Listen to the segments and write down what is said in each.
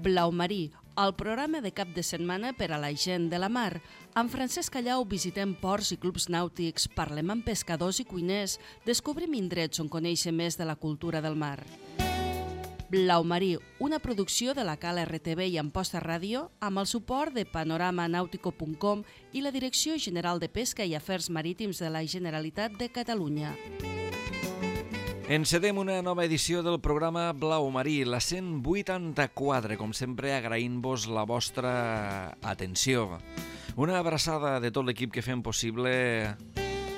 Blau Marí, el programa de cap de setmana per a la gent de la mar. Amb Francesc Callau visitem ports i clubs nàutics, parlem amb pescadors i cuiners, descobrim indrets on conèixer més de la cultura del mar. Blau Marí, una producció de la Cala RTV i Amposta Ràdio, amb el suport de panoramanautico.com i la Direcció General de Pesca i Afers Marítims de la Generalitat de Catalunya. Encedem una nova edició del programa Blau Marí, la 184, com sempre agraint-vos la vostra atenció. Una abraçada de tot l'equip que fem possible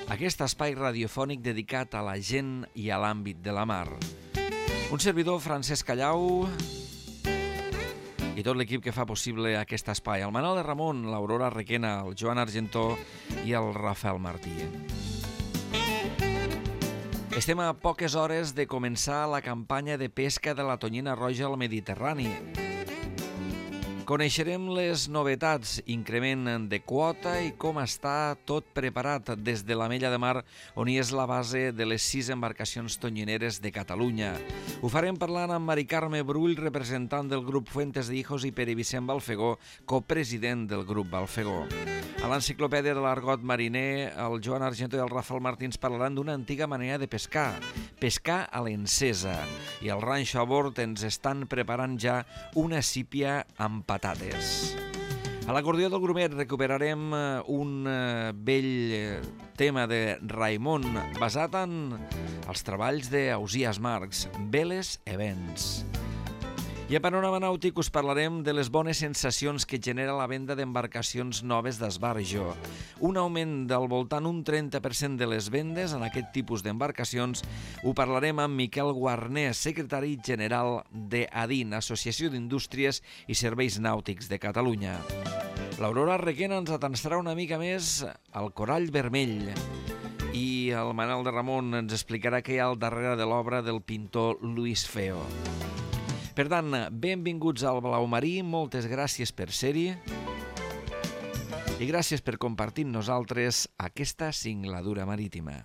aquest espai radiofònic dedicat a la gent i a l'àmbit de la mar. Un servidor, Francesc Callau, i tot l'equip que fa possible aquest espai. El Manol de Ramon, l'Aurora Requena, el Joan Argentó i el Rafael Martí. Estem a poques hores de començar la campanya de pesca de la tonyina roja al Mediterrani. Coneixerem les novetats, increment de quota i com està tot preparat des de l'Amella de Mar, on hi és la base de les 6 embarcacions tonyineres de Catalunya. Ho farem parlant amb Mari Carme Brull, representant del grup Fuentes de Hijos, i Pere Vicent Balfegó, copresident del grup Balfegó. A l'enciclopèdia de l'argot mariner, el Joan Argento i el Rafael Martins parlaran d'una antiga manera de pescar, pescar a l'encesa. I al ranxo a bord ens estan preparant ja una sípia amb patates. A l'acordió del grumet recuperarem un vell tema de Raimon basat en els treballs d'Ausiàs Marx, Veles Events. I a Panorama Nàutic us parlarem de les bones sensacions que genera la venda d'embarcacions noves d'esbarjo. Un augment del voltant un 30% de les vendes en aquest tipus d'embarcacions ho parlarem amb Miquel Guarner, secretari general d'ADIN, Associació d'Indústries i Serveis Nàutics de Catalunya. L'Aurora Requena ens atansarà una mica més al corall vermell i el Manol de Ramon ens explicarà què hi ha al darrere de l'obra del pintor Luis Feo. Per tant, benvinguts al Blau Marí, moltes gràcies per ser-hi i gràcies per compartir amb nosaltres aquesta singladura marítima.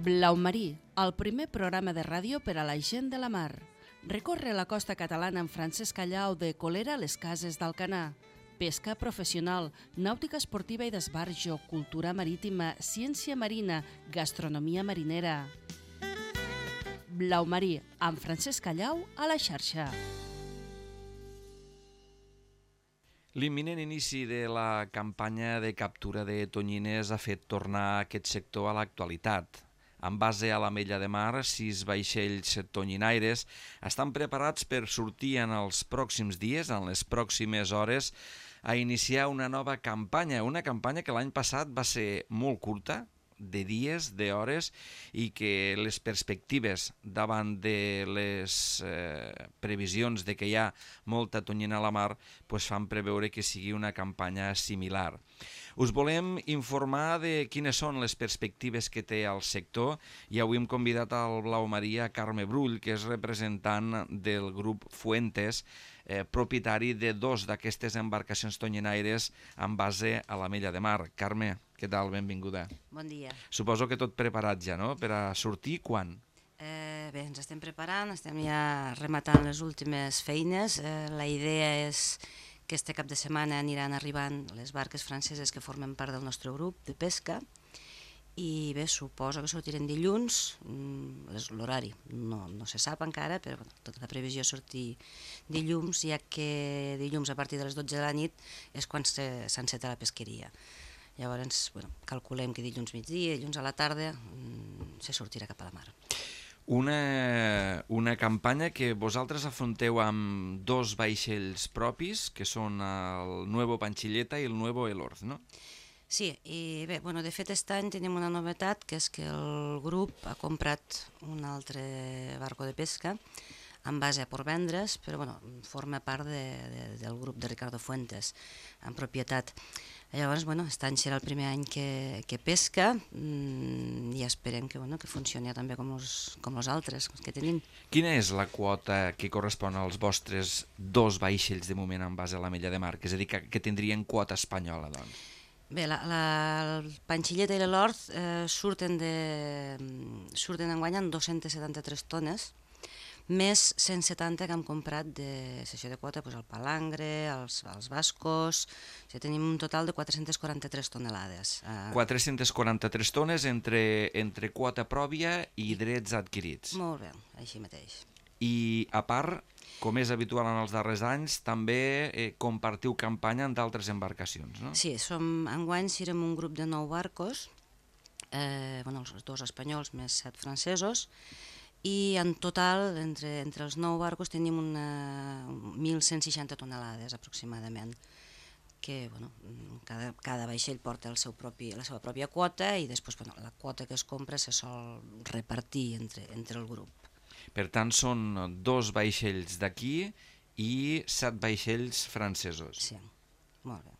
Blau Marí, el primer programa de ràdio per a la gent de la mar. Recorre la costa catalana amb Francesc Callau de Colera a les Cases d'Alcanar. Pesca professional, nàutica esportiva i d'esbarjo, cultura marítima, ciència marina, gastronomia marinera. Blau Marí, amb Francesc Callau a la xarxa. L'imminent inici de la campanya de captura de tonyines ha fet tornar aquest sector a l'actualitat. En base a l'Amella de Mar, 6 vaixells tonyinaires estan preparats per sortir en els pròxims dies, en les pròximes hores, a iniciar una nova campanya. Una campanya que l'any passat va ser molt curta, de dies, d'hores, i que les perspectives davant de les previsions de que hi ha molta tonyina a la mar fan preveure que sigui una campanya similar. Us volem informar de quines són les perspectives que té el sector i avui hem convidat al Blau Marí a Carme Brull, que és representant del grup Fuentes, propietari de 2 d'aquestes embarcacions tonyinaires amb base a l'Amella de Mar. Carme, què tal? Benvinguda. Bon dia. Suposo que tot preparat ja, no?, per a sortir quan? Bé, ens estem preparant, estem ja rematant les últimes feines. La idea és que este cap de setmana aniran arribant les barques franceses que formen part del nostre grup de pesca i bé, suposo que sortirem dilluns, l'horari no se sap encara, però tota la previsió és sortir dilluns, ja que dilluns a partir de les 12 de la nit és quan s'enceta la pesqueria. Llavors, calculem que dilluns migdia, dilluns a la tarda, se sortirà cap a la mar. Una campanya que vosaltres afronteu amb 2 vaixells propis, que són el Nuevo Panchilleta i el Nuevo Elorz, no? Sí, i bé, de fet aquest any tenim una novetat, que és que el grup ha comprat un altre barco de pesca en base a Portvendres, però forma part del grup de Ricardo Fuentes, en propietat. Llavors, aquest any serà el primer any que pesca i esperem que funcioni també com els altres que tenim. Quina és la quota que correspon als vostres 2 vaixells de moment en base a l'Amella de Mar? És a dir, que tindrien quota espanyola, doncs? Bé, el Panchilleta i l'Elorz surten enguany amb 273 tones, més 170 que hem comprat de sessió de quota, el palangre, els bascos, tenim un total de 443 tonelades. 443 tones entre quota pròpia i drets adquirits. Molt bé, així mateix. I a part, com és habitual en els darrers anys, també compartiu campanya amb d'altres embarcacions, no? Sí, enguany serem un grup de 9 barcos, els 2 espanyols més 7 francesos, i en total, entre els 9 barcos, tenim 1.160 tonelades aproximadament, que cada vaixell porta la seva pròpia quota i després la quota que es compra se sol repartir entre el grup. Per tant, són 2 vaixells d'aquí i 7 vaixells francesos. Sí, molt bé.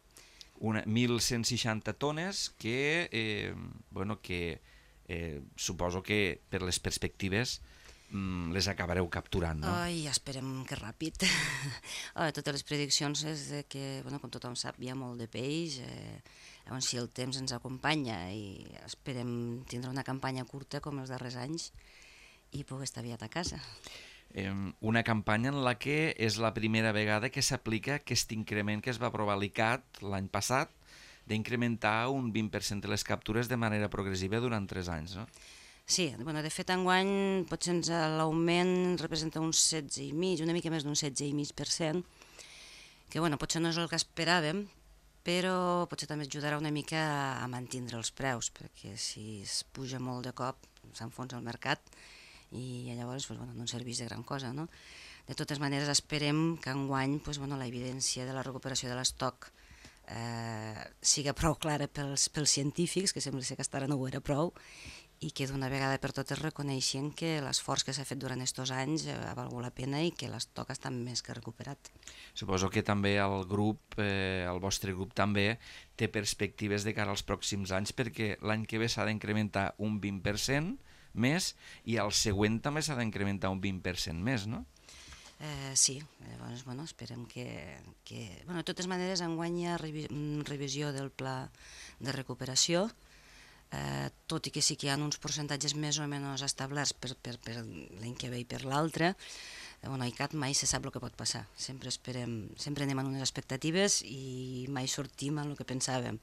1.160 tones que suposo que per les perspectives les acabareu capturant, no? Ja esperem que ràpid. Totes les prediccions és que, com tothom sap, hi ha molt de peix, llavors si el temps ens acompanya i esperem tindre una campanya curta com els darrers anys i poder estar aviat a casa. Una campanya en la que és la primera vegada que s'aplica aquest increment que es va aprovar a l'ICAT l'any passat, d'incrementar un 20% de les captures de manera progressiva durant 3 anys, no? Sí, de fet enguany potser l'augment representa un 16,5%, una mica més d'un 16,5%, que potser no és el que esperàvem, però potser també ajudarà una mica a mantenir els preus, perquè si es puja molt de cop s'enfonsa el mercat i llavors no ens serveix de gran cosa, no? De totes maneres esperem que enguany la evidència de la recuperació de l'estoc siga prou clara pels científics, que sembla ser que fins ara no ho era prou, i que d'una vegada per totes reconeixen que l'esforç que s'ha fet durant aquests anys ha valgut la pena i que l'estoc està més que recuperat. Suposo que també el vostre grup també té perspectives de cara als pròxims anys, perquè l'any que ve s'ha d'incrementar un 20% més i el següent també s'ha d'incrementar un 20% més, no? Sí, llavors esperem que... De totes maneres, enguany hi ha revisió del pla de recuperació, tot i que sí que hi ha uns percentatges més o menys establerts per l'any que ve i per l'altre. A ICAT mai se sap el que pot passar, sempre anem en unes expectatives i mai sortim en el que pensàvem.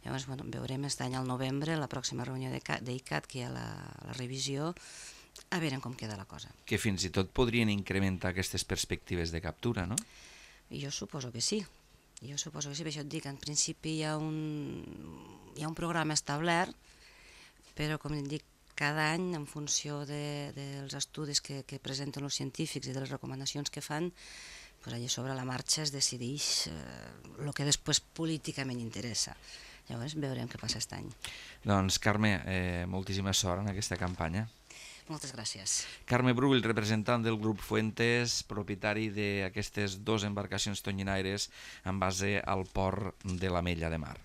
Llavors veurem aquest any al novembre, la pròxima reunió d'ICAT, que hi ha la revisió, a veure com queda la cosa. Que fins i tot podrien incrementar aquestes perspectives de captura, no? Jo suposo que sí. Per això et dic, en principi hi ha un programa establert, però com et dic, cada any, en funció dels estudis que presenten els científics i de les recomanacions que fan, allà sobre la marxa es decideix el que després políticament interessa. Llavors veurem què passa aquest any. Doncs Carme, moltíssima sort en aquesta campanya. Moltes gràcies. Carme Brull, representant del grup Fuentes, propietari d'aquestes 2 embarcacions tonyinaires en base al port de l'Ametlla de Mar.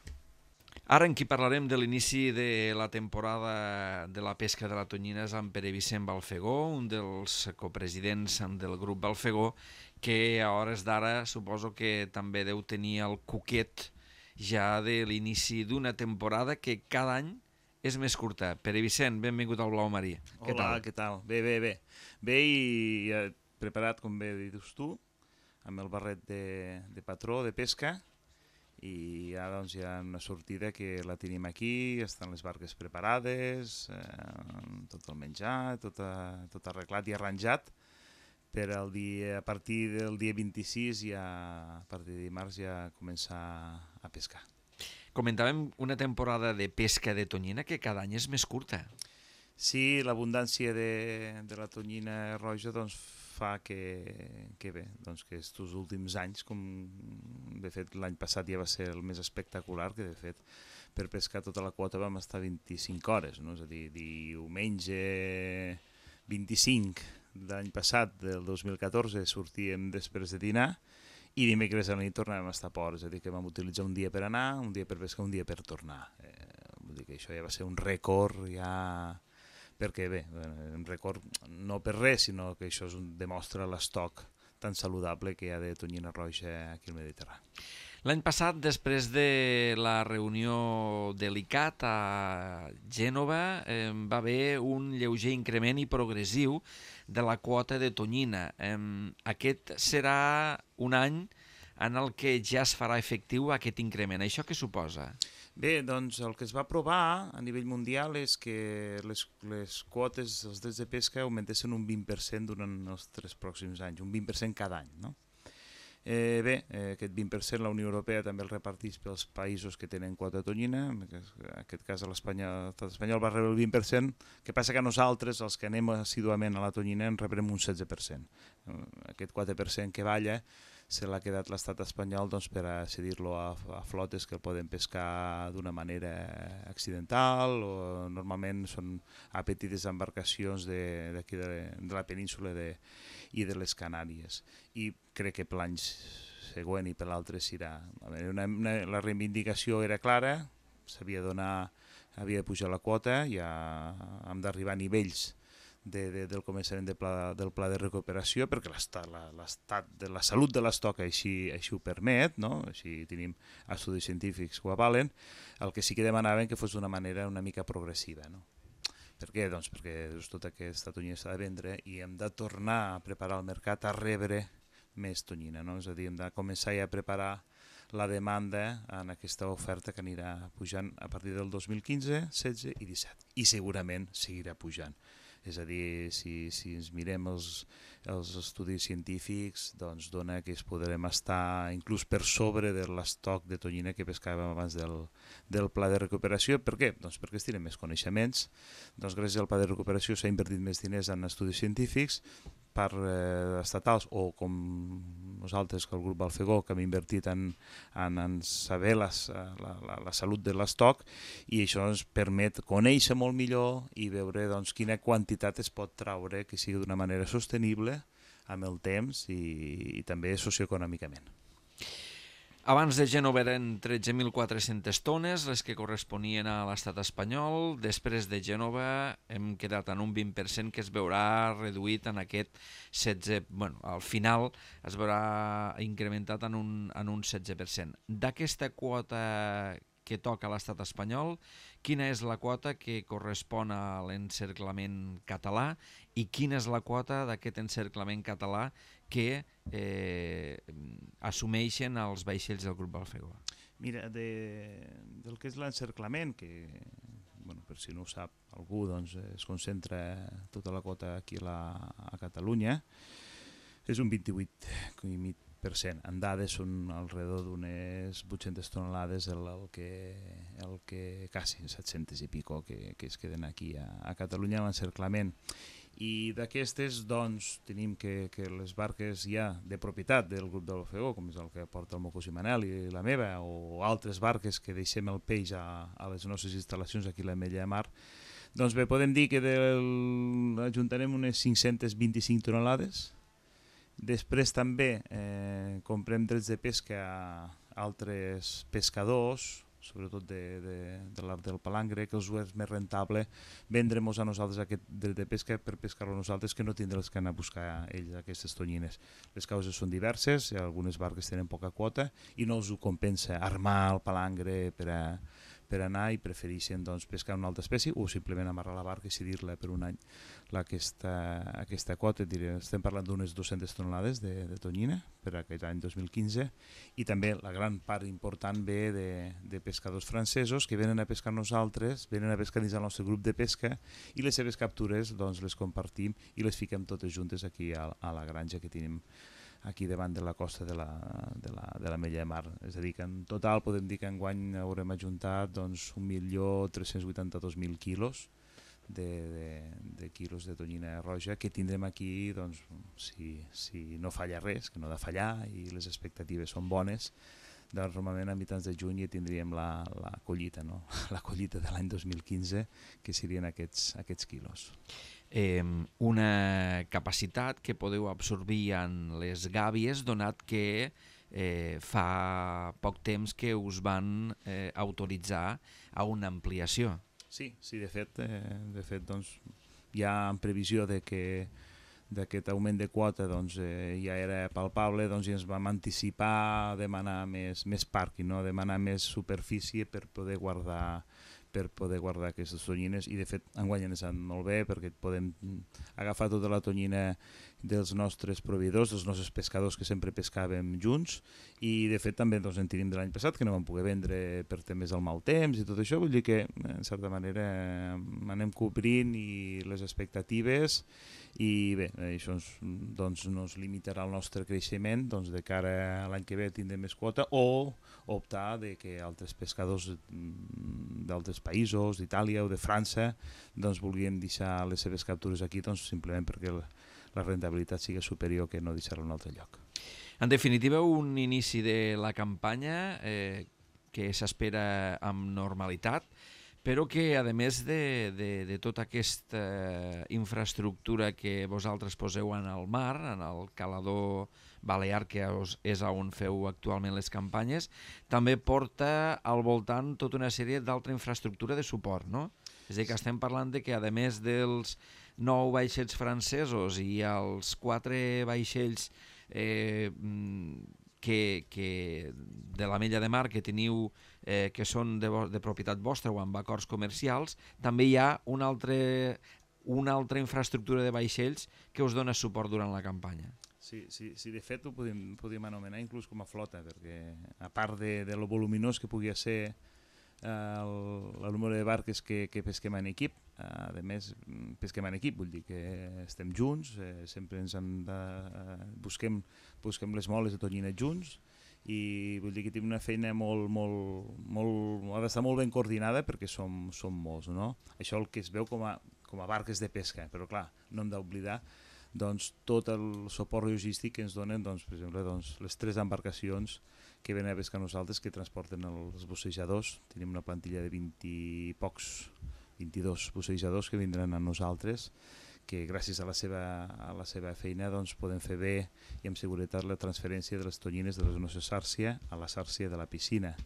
Ara en qui parlarem de l'inici de la temporada de la pesca de la tonyina és en Pere Vicent Balfegó, un dels copresidents del grup Balfegó, que a hores d'ara suposo que també deu tenir el cuquet ja de l'inici d'una temporada que cada any és més curta. Pere Vicent, benvingut al Blau Marí. Hola, què tal? Bé. Bé i preparat, com bé dius tu, amb el barret de patró de pesca, i ara doncs hi ha una sortida que la tenim aquí, estan les barques preparades, tot el menjar, tot arreglat i arranjat per a partir del dia 26, a partir de dimarts, ja començar a pescar. Comentàvem una temporada de pesca de tonyina que cada any és més curta. Sí, l'abundància de la tonyina roja doncs, fa que bé, doncs que estos últims anys, com de fet l'any passat ja va ser el més espectacular, que de fet per pescar tota la quota vam estar 25 hores, no? És a dir, diumenge 25 de l'any passat, del 2014, sortíem després de dinar, i dimecres a la nit tornàvem a estar a port, és a dir, que vam utilitzar un dia per anar, un dia per pescar, un dia per tornar. Vull dir que això ja va ser un rècord, ja... perquè bé, un rècord no per res, sinó que això demostra l'estoc tan saludable que hi ha de tonyina roja aquí al Mediterrani. L'any passat, després de la reunió de l'ICAT a Gènova, va haver un lleuger increment i progressiu de la quota de tonyina. Aquest serà un any en el que ja es farà efectiu aquest increment. Això què suposa? Bé, doncs el que es va aprovar a nivell mundial és que les quotes, els drets de pesca augmentessin un 20% durant els 3 pròxims anys, un 20% cada any, no? Aquest 20% la Unió Europea també el reparteix pels països que tenen quota de tonyina, en aquest cas l'estat espanyol va rebre el 20%, que passa que nosaltres, els que anem assiduament a la tonyina, en rebrem un 16%. Aquest 4% que balla se l'ha quedat l'estat espanyol doncs, per a cedir-lo a flotes que el poden pescar d'una manera accidental, o normalment són a petites embarcacions d'aquí de la península i de les Canàries. I crec que per l'any següent i per l'altre serà. La reivindicació era clara, havia de pujar la quota, ja hem d'arribar a nivells del començament del pla de recuperació, perquè l'estat de la salut de l'estoc així ho permet, no? Així tenim estudis científics que ho avalen. El que sí que demanaven que fos d'una manera una mica progressiva, no? Per què? Doncs perquè tota aquesta tonyina s'ha de vendre i hem de tornar a preparar el mercat a rebre més tonyina, no? És a dir, hem de començar ja a preparar la demanda en aquesta oferta que anirà pujant a partir del 2015, 16 i 17. I segurament seguirà pujant. És a dir, si ens mirem els estudis científics, doncs dona que podrem estar inclús per sobre de l'estoc de tonyina que pescàvem abans del pla de recuperació. Per què? Doncs perquè es tenen més coneixements. Doncs gràcies al pla de recuperació s'ha invertit més diners en estudis científics per estatals, o com nosaltres, que el grup Balfegó, que hem invertit en saber la salut de l'estoc, i això ens permet conèixer molt millor i veure doncs, quina quantitat es pot traure que sigui d'una manera sostenible amb el temps i també socioeconòmicament. Abans de Gènova eren 13.400 tones, les que corresponien a l'estat espanyol. Després de Gènova hem quedat en un 20% que es veurà reduït en aquest 16%. Bueno, al final es veurà incrementat en un 16%. D'aquesta quota que toca a l'estat espanyol, quina és la quota que correspon a l'encerclament català i quina és la quota d'aquest encerclament català que assumeixen els vaixells del grup Balfegó? Mira, del que és l'encerclament, que per si no ho sap algú, doncs es concentra tota la quota aquí a Catalunya, és un 28,5%. En dades són alrededor d'unes 800 tonelades el que quasi 700 i pico que es queden aquí a Catalunya a l'encerclament. I d'aquestes, doncs, tenim que les barques ja de propietat del grup de l'Ofegó, com és el que porta el Mocos i Manel i la meva, o altres barques que deixem el peix a les nostres instal·lacions aquí a l'Ametlla de Mar, doncs bé, podem dir que ajuntarem unes 525 tonelades. Després també comprem drets de pesca a altres pescadors, sobretot del palangre, que els és més rentable vendre-nos a nosaltres aquest dret de pesca per pescar-lo a nosaltres que no tindre-los que anar a buscar ells aquestes tonyines. Les causes són diverses, algunes barques tenen poca quota i no els ho compensa armar el palangre per anar i prefereixen doncs, pescar una altra espècie o simplement amarrar la barca i cedir-la per un any aquesta quota. Estem parlant d'unes 200 tonelades de tonyina per aquest any 2015 i també la gran part important ve de pescadors francesos que venen a pescar nosaltres, venen a pescar dins el nostre grup de pesca i les seves captures doncs, les compartim i les fiquem totes juntes aquí a la granja que tenim aquí davant de la costa de l'Ametlla de Mar. És a dir, que en total podem dir que enguany haurem ajuntat doncs, 1.382.000 quilos de quilos de tonyina roja que tindrem aquí, doncs, si no falla res, que no ha de fallar i les expectatives són bones, doncs normalment a mitjans de juny ja tindríem la collita, no? La collita de l'any 2015, que serien aquests quilos. Una capacitat que podeu absorbir en les gàbies, donat que fa poc temps que us van autoritzar a una ampliació. Sí, de fet doncs, ja en previsió de que d'aquest augment de quota doncs, ja era palpable, doncs ja ens vam anticipar a demanar més pàrquing, no? A demanar més superfície per poder guardar aquestes tonyines, i de fet enguany ens han molt bé perquè podem agafar tota la tonyina dels nostres proveïdors, dels nostres pescadors que sempre pescàvem junts, i de fet també doncs, en tenim de l'any passat que no vam poder vendre per temes del mal temps i tot això, vull dir que en certa manera anem cobrint i les expectatives, i bé, això doncs, no es limitarà el nostre creixement, doncs, de cara a l'any que ve tindrem més quota, o optar de que altres pescadors d'altres països, d'Itàlia o de França, doncs, vulguin deixar les seves captures aquí, doncs, simplement perquè la rentabilitat sigui superior que no deixar-la en un altre lloc. En definitiva, un inici de la campanya que s'espera amb normalitat, però que, a més de tota aquesta infraestructura que vosaltres poseu en el mar, en el calador balear, que és on feu actualment les campanyes, també porta al voltant tota una sèrie d'altra infraestructura de suport, no? És a dir, que estem parlant de que, a més dels 9 vaixells francesos i els 4 vaixells de la Mella de Mar que teniu, que són de propietat vostra o amb acords comercials, també hi ha una altra infraestructura de vaixells que us dona suport durant la campanya. Sí, de fet ho podíem anomenar inclús com a flota, perquè a part de lo voluminós que pugui ser el número de barques que pesquem en equip, a més pesquem en equip, vull dir que estem junts, sempre ens busquem les moles de tonyina junts, i vull dir que tenim una feina ha d'estar molt ben coordinada perquè som molts, no? Això el que es veu com a barques de pesca, però clar, no hem d'oblidar doncs, tot el suport logístic que ens donen, doncs, per exemple, doncs, les 3 embarcacions que venen a pescar nosaltres, que transporten els bussejadors. Tenim una plantilla de 22 bussejadors que vindran a nosaltres, que gràcies a la seva feina doncs, podem fer bé i amb seguretat la transferència de les tonyines de la nostra sàrcia a la sàrcia de la piscina.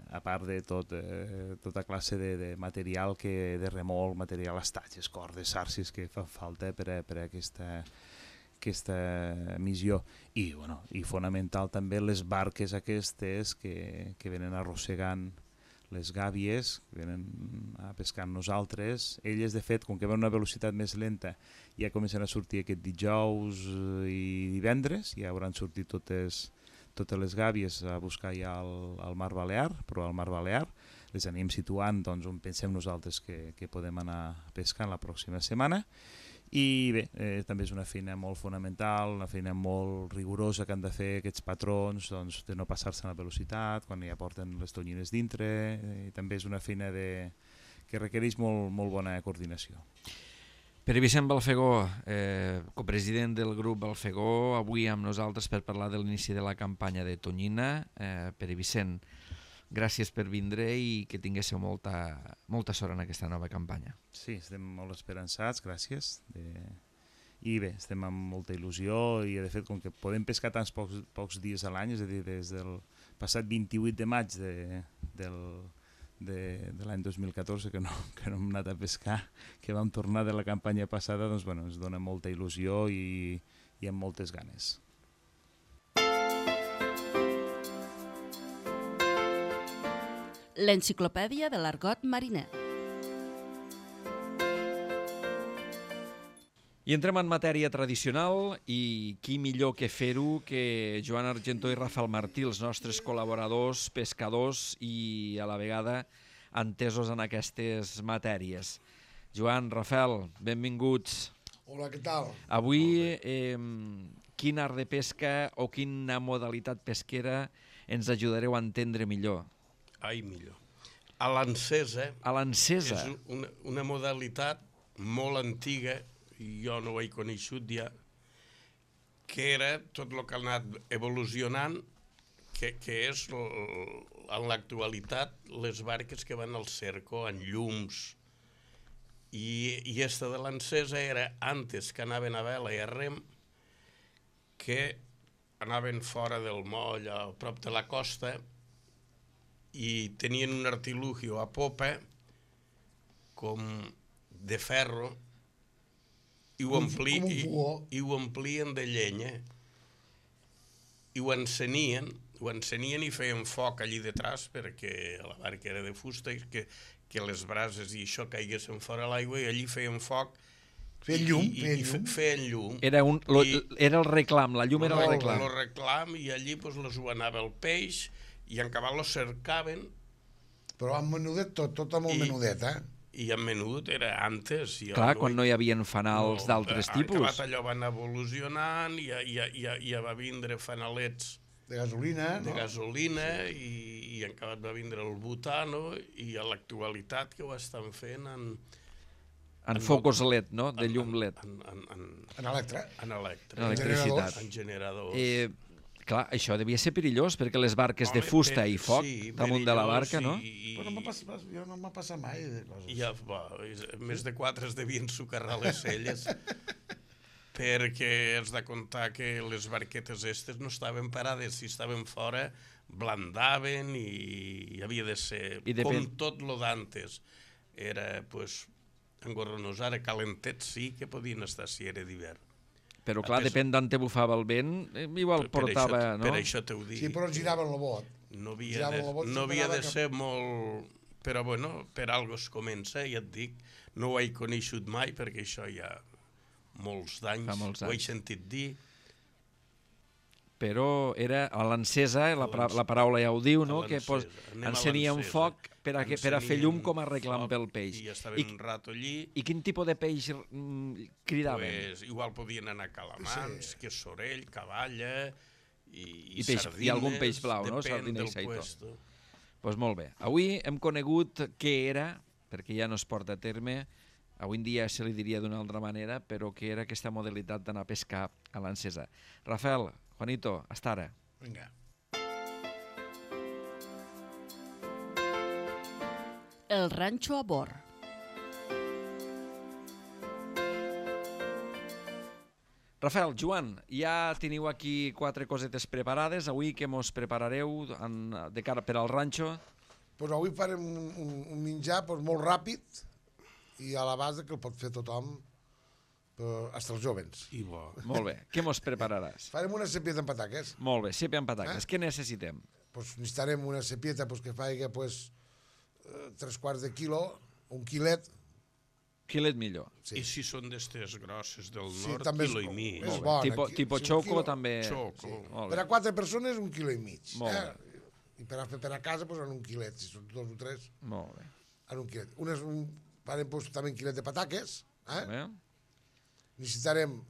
A part de tota classe de material, de remolc, material, estatges, cordes, sàrcies que fan falta per a aquesta missió, i fonamental també les barques aquestes que venen arrossegant les gàbies, que venen a pescar amb nosaltres. Elles, de fet, com que van a una velocitat més lenta, ja comencen a sortir aquest dijous i divendres, ja hauran sortit totes les gàbies a buscar ja al Mar Balear, però al Mar Balear les anem situant doncs, on pensem nosaltres que podem anar a pescar la pròxima setmana. I bé, també és una feina molt fonamental, una feina molt rigorosa que han de fer aquests patrons, doncs, de no passar-se en la velocitat quan ja porten les tonyines dintre, i també és una feina que requereix molt bona coordinació. Pere Vicent Balfegó, copresident del grup Balfegó, avui amb nosaltres per parlar de l'inici de la campanya de tonyina. Pere Vicent, gràcies per vindre i que tinguéssiu molta sort en aquesta nova campanya. Sí, estem molt esperançats, gràcies. I bé, estem amb molta il·lusió, i de fet, com que podem pescar tants pocs dies a l'any, és a dir, des del passat 28 de maig de l'any 2014 que no hem anat a pescar, que vam tornar de la campanya passada, doncs ens dona molta il·lusió i amb moltes ganes. L'enciclopèdia de l'argot mariner. I entrem en matèria tradicional, i qui millor que fer-ho que Joan Argentó i Rafael Martí, els nostres col·laboradors, pescadors i a la vegada entesos en aquestes matèries. Joan, Rafael, benvinguts. Hola, què tal? Avui, quin art de pesca o quina modalitat pesquera ens ajudareu a entendre millor? Ai, millor. A l'encesa. A l'encesa? És una modalitat molt antiga, jo no ho he coneixut ja, que era tot el que ha anat evolucionant, que és en l'actualitat les barques que van al cerco, en llums, i esta de l'encesa era antes que anaven a vela i a rem, que anaven fora del moll, a prop de la costa, i tenien un artilugio a popa com de ferro, i ho omplien de llenya i ho encenien i feien foc allí detrás perquè la barca era de fusta i que les brases i això caiguessin fora l'aigua i allí feien foc. Feien llum. Era el reclam, la llum era el reclam. El reclam i allí les ho anava el peix i en cabal lo cercaven. Però amb menudet tot amb el menudet, I en menut era antes. Clar, quan no hi havia fanals d'altres tipus. Acabat allò van evolucionant i ja va vindre fanalets de gasolina, i en acabat va vindre el butano i a l'actualitat que ho estan fent en focus LED, no? De llum LED. En electricitat. En generadors. Clar, això devia ser perillós, perquè les barques de fusta i foc damunt de la barca, no? Però no m'ha passat mai de coses. Ja, més de 4 es devien socarrar les celles, perquè has de comptar que les barquetes estes no estaven parades, si estaven fora, blandaven i havia de ser com tot lo d'antes. Era, pues, engorronos, ara calentets sí que podien estar si era d'hivern. Però clar, depèn d'on te bufava el vent, igual portava, no? Per això t'ho dic. Sí, però giraven el bot. No havia de ser molt... Però bueno, per algo es comença, ja et dic. No ho he coneixut mai, perquè això ja molts d'anys, ho he sentit dir. Però era a l'encesa, la paraula ja ho diu, no? Que encenia un foc per a fer llum com a reclam pel peix. I estaven un rato allí. I quin tipus de peix cridaven? Igual podien anar calamars, que sorell, cavalla i sardines. I algun peix blau, no? Sardina i saitó. Doncs molt bé. Avui hem conegut què era, perquè ja no es porta a terme, avui en dia se li diria d'una altra manera, però què era aquesta modalitat d'anar a pescar a l'encesa. Rafael, Juanito, hasta ara. Vinga. El ranxo a bord. Rafael, Joan, ja teniu aquí 4 cosetes preparades. Avui què mos preparareu de cara per al ranxo? Pues avui farem un menjar molt ràpid i a la base que el pot fer tothom, fins els jovens. I bo. Molt bé. Què mos prepararàs? Farem una cepieta amb pataques. Molt bé, sèpia amb pataques. Què necessitem? Pues necessitarem una cepieta que faci 3/4 de quilo, un quilet. Quilet millor. Sí. I si són d'estes grosses del nord, quilo i mig. És bon. Tipo xoco també. Xoco. Per a 4 persones, 1,5 quilos. Molt bé. I per a fer per a casa, en un quilet. Si són 2 o 3, molt bé. En un quilet. Farem també un quilet de pataques. Bé. Necessitarem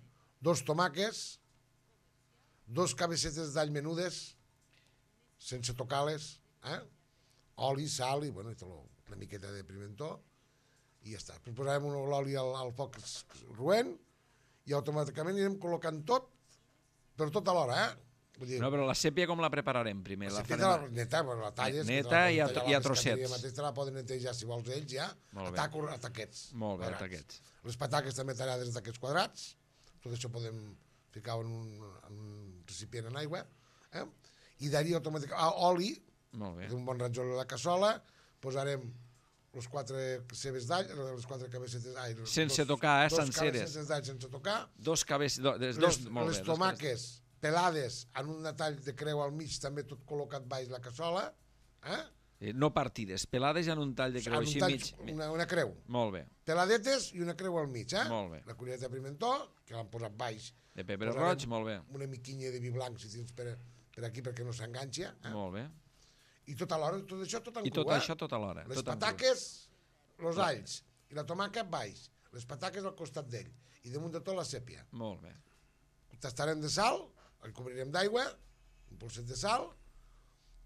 2 tomàquets, 2 cabecetes d'all menudes, sense tocar-les, oli, sal i una miqueta de pimentó, i ja està. Posarem l'oli al foc roent i automàticament anirem col·locant tot, però tot alhora, No, però la sèpia com la prepararem primer? La sèpia neta, la talles. Neta i a trossets. Mateix te la poden netejar, si vols ells, ja, a taquets. Molt bé, a taquets. Les pataques també tallades d'aquests quadrats, tot això podem ficar en un recipient en aigua, i d'ahir automàticament oli, un bon rajola a la cassola, posarem les 4 cebes d'all, les 4 cabecetes d'all. Sense tocar, senceres. 2 cabecetes d'all sense tocar. Les tomàques pelades en un tall de creu al mig, també tot col·locat baix la cassola. No partides, pelades en un tall de creu així mig. Una creu. Molt bé. Peladetes i una creu al mig. Molt bé. La cullereta de pimentó, que l'han posat baix. De pebre roig, molt bé. Una miquinya de vi blanc, si tens per aquí, perquè no s'enganxa. Molt bé. I tot alhora, tot això tot en cru. I tot això tot alhora. Les pataques, els alls i la tomàquet baix. Les pataques al costat d'ell. I damunt de tot la sèpia. Molt bé. Tastarem de sal, el cobrirem d'aigua, un polset de sal,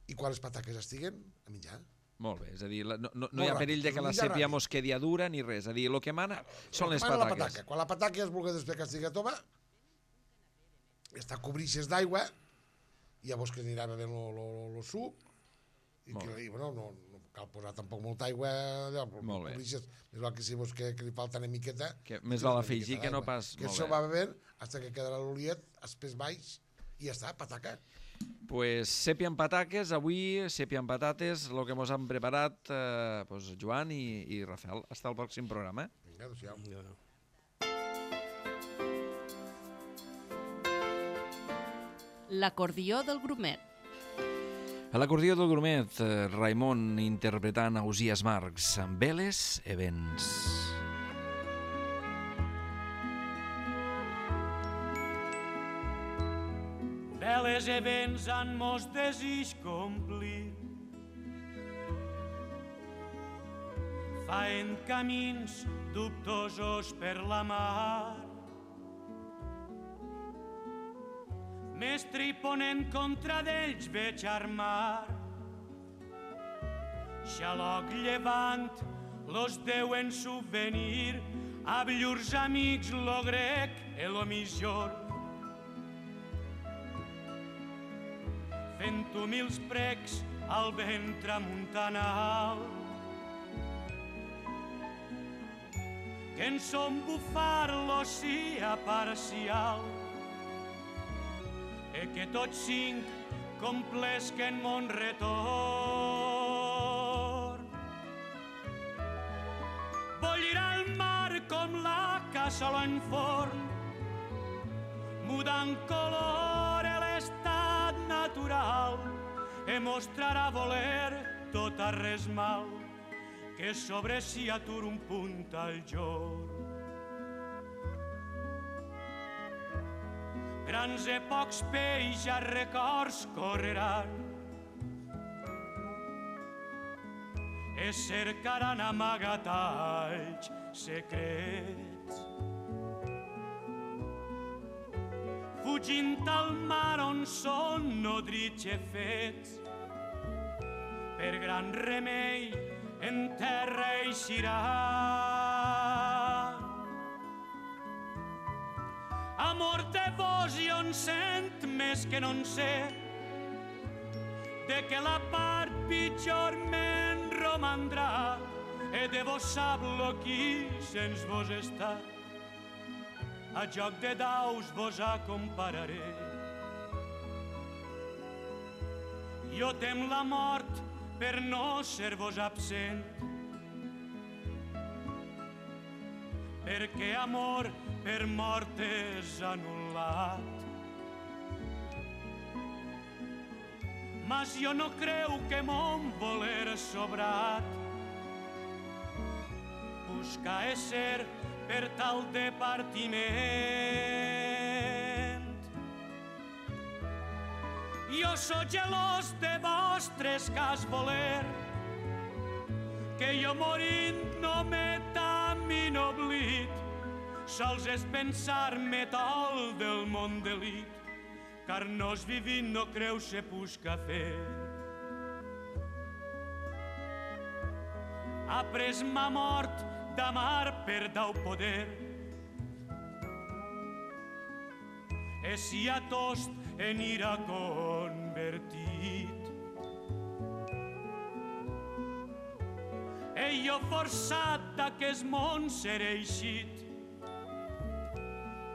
i quan les pataques estiguen, a menjar. Molt bé, és a dir, no hi ha perill de que la sèpia mos quedi dura ni res. És a dir, el que mana són les pataques. Quan la pataca es vulgui després que estigui tova, està cobrixes d'aigua, i llavors que anirà bevent el suc, i no cal posar tampoc molta aigua, cobrixes, més val que si vols que li falta una miqueta... Més val afegir que no pas... Que això va bevent fins que quedarà l'oliet, espès baix, i ja està, pataca. Pues sèpia amb pataques, avui sèpia amb patates, el que mos han preparat Joan i Rafael. Hasta el pròxim programa. Vinga, adéu-siau. L'acordió del Grumet. A l'acordió del Grumet, Raimon interpretant Ausiàs Marcs, amb Veles e Vents. Veles e vents han mos desig complir, faen camins dubtosos per la mar. Mestre i ponent contra d'ells veig armar. Xaloc llevant los deuen subvenir a llurs amics lo grec e lo misjor. Fent humils precs al vent tramuntanal, que en son bufar l'oceà parcial, e que tots cinc complesquen mon retorn. Bullirà el mar com la cassola en forn, mudant color a l'estat natural, e mostrarà voler tot a res mal, que sobre si atur un punt al jorn. Grans e pocs peix a records correran, e cercaran amagatalls secrets, fugint al mar on són nodrits e fets. Per gran remei en terra eixiran. Amor de vos i on sent més que no en sé, de que la part pitjor me'n romandrà, e de vos sap lo qui sens vos està. A joc de daus vos acompararé. Jo tem la mort per no ser vos absent, perquè amor per mort és anul·lat. Mas jo no creu que mon voler sobrat busca ésser per tal de partiment. Jo sóc gelós de vostres cas voler, que jo morint no m'he tan minoblit, sols és pensar-me tol del món delit, car nos vivint no creu se busca fer. Après ma mort d'amar per dau poder, e si a tost en ira convertit. E jo forçat d'aquest món seré eixit,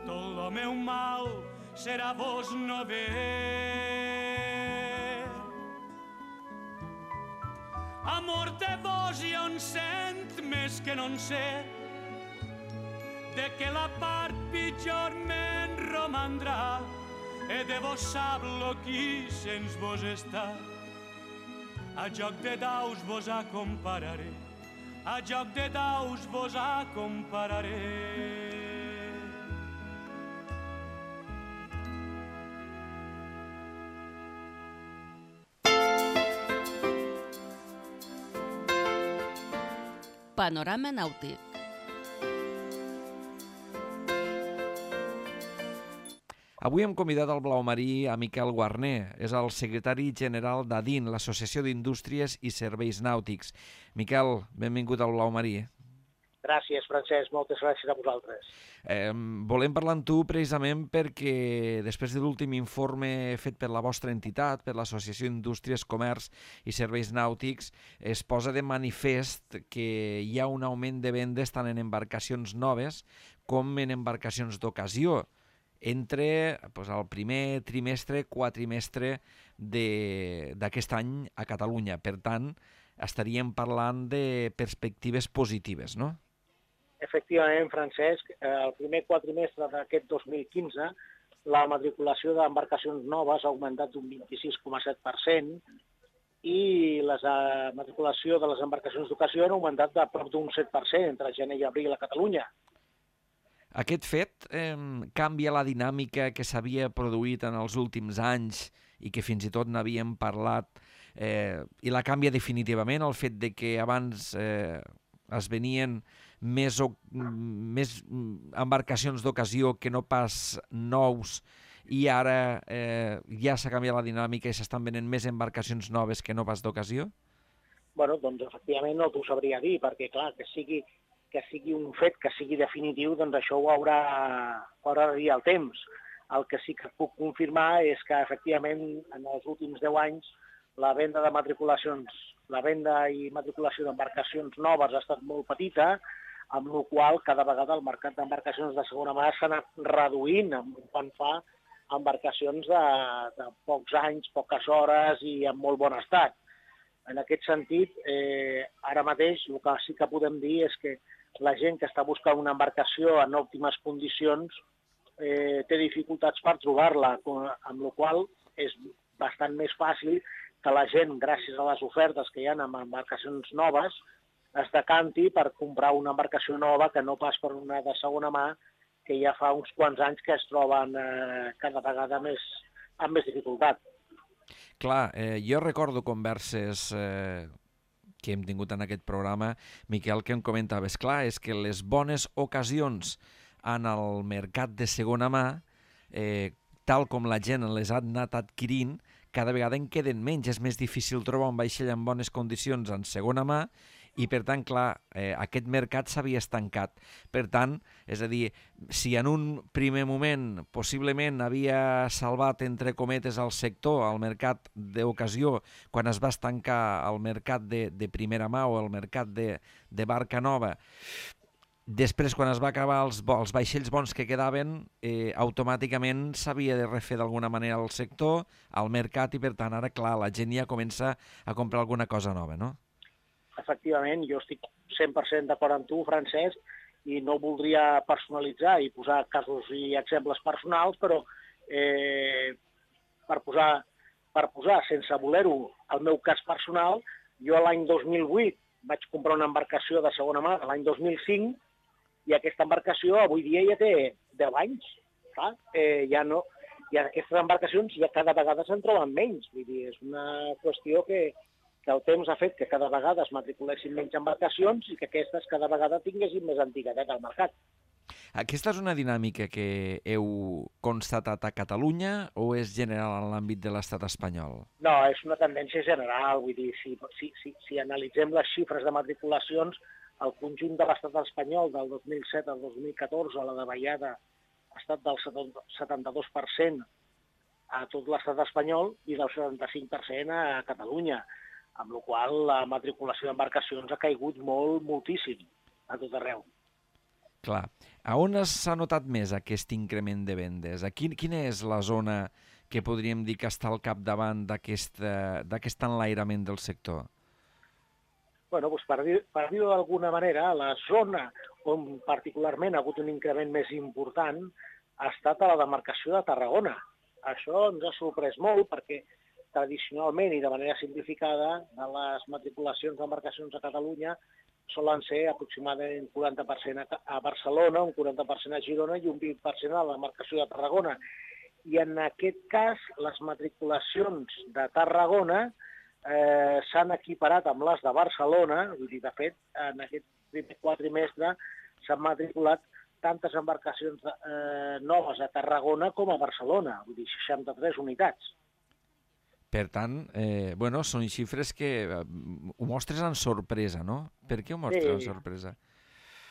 tot lo meu mal serà vos no ver. Amor de vos i on sent més que no en sé, de que la part pitjor me'n romandrà, e de vos sap lo qui sens vos està. A joc de daus vos acompararé, a joc de daus vos acompararé. Panorama nàutic. Avui hem convidat al blau marí a Miquel Guarner. És el secretari general d'ADIN, l'Associació d'Indústries i Serveis Nàutics. Miquel, benvingut al blau marí. Gràcies, Francesc. Moltes gràcies a vosaltres. Volem parlar amb tu precisament perquè després de l'últim informe fet per la vostra entitat, per l'Associació d'Indústries, Comerç i Serveis Nàutics, es posa de manifest que hi ha un augment de vendes tant en embarcacions noves com en embarcacions d'ocasió entre el primer trimestre, quatrimestre d'aquest any a Catalunya. Per tant, estaríem parlant de perspectives positives, no? Efectivament, Francesc, el primer quatrimestre d'aquest 2015 la matriculació d'embarcacions noves ha augmentat d'un 26,7% i la matriculació de les embarcacions d'ocasió ha augmentat de prop d'un 7% entre gener i abril a Catalunya. Aquest fet canvia la dinàmica que s'havia produït en els últims anys i que fins i tot n'havíem parlat, i la canvia definitivament el fet de que abans es venien més embarcacions d'ocasió que no pas nous, i ara ja s'ha canviat la dinàmica i s'estan venent més embarcacions noves que no pas d'ocasió? Bueno, doncs efectivament no t'ho sabria dir, perquè clar, que sigui un fet, que sigui definitiu, doncs això ho haurà de dir el temps. El que sí que puc confirmar és que efectivament en els últims 10 anys la venda i matriculació d'embarcacions noves ha estat molt petita, amb la qual cada vegada el mercat d'embarcacions de segona mà s'ha anat reduint quan fa embarcacions de pocs anys, poques hores i en molt bon estat. En aquest sentit, ara mateix el que sí que podem dir és que la gent que està buscant una embarcació en òptimes condicions té dificultats per trobar-la, amb la qual és bastant més fàcil que la gent, gràcies a les ofertes que hi ha amb embarcacions noves, es decanti per comprar una embarcació nova que no pas per una de segona mà, que ja fa uns quants anys que es troben cada vegada amb més dificultat. Clar, jo recordo converses que hem tingut en aquest programa, Miquel, que em comentaves, clar, és que les bones ocasions en el mercat de segona mà, tal com la gent les ha anat adquirint, cada vegada en queden menys. És més difícil trobar un vaixell en bones condicions en segona mà i, per tant, clar, aquest mercat s'havia estancat. Per tant, és a dir, si en un primer moment possiblement havia salvat, entre cometes, el sector, el mercat d'ocasió, quan es va estancar el mercat de primera mà o el mercat de barca nova, després, quan es va acabar els vaixells bons que quedaven, automàticament s'havia de refer d'alguna manera el sector, el mercat, i per tant ara, clar, la gent ja comença a comprar alguna cosa nova, no? Efectivament, jo estic 100% d'acord amb tu, Francesc, i no voldria personalitzar i posar casos i exemples personals, però per posar sense voler-ho el meu cas personal, jo l'any 2008 vaig comprar una embarcació de segona mà de l'any 2005 i aquesta embarcació avui dia ja té 10 anys. Clar, i aquestes embarcacions ja cada vegada se'n troben menys. Vull dir, és una qüestió que el temps ha fet que cada vegada es matriculessin menys embarcacions i que aquestes cada vegada tinguessin més antiguitat al mercat. Aquesta és una dinàmica que heu constatat a Catalunya o és general en l'àmbit de l'estat espanyol? No, és una tendència general. Vull dir, si analitzem les xifres de matriculacions, el conjunt de l'estat espanyol del 2007 al 2014, la davallada ha estat del 72% a tot l'estat espanyol i del 75% a Catalunya, amb la qual la matriculació d'embarcacions ha caigut moltíssim a tot arreu. Clar. A on s'ha notat més aquest increment de vendes? Quina és la zona que podríem dir que està al capdavant d'aquest enlairament del sector? Bueno, doncs per dir-ho d'alguna manera, la zona on particularment ha hagut un increment més important ha estat a la demarcació de Tarragona. Això ens ha sorprès molt perquè tradicionalment i de manera simplificada, de les matriculacions d'embarcacions a Catalunya solen ser aproximadament un 40% a Barcelona, un 40% a Girona i un 20% a la demarcació de Tarragona. I en aquest cas, les matriculacions de Tarragona s'han equiparat amb les de Barcelona, vull dir, de fet, en aquest primer quadrimestre s'han matriculat tantes embarcacions noves a Tarragona com a Barcelona, vull dir, 63 unitats. Per tant, són xifres que ho mostres amb sorpresa, no? Per què ho mostres amb sorpresa?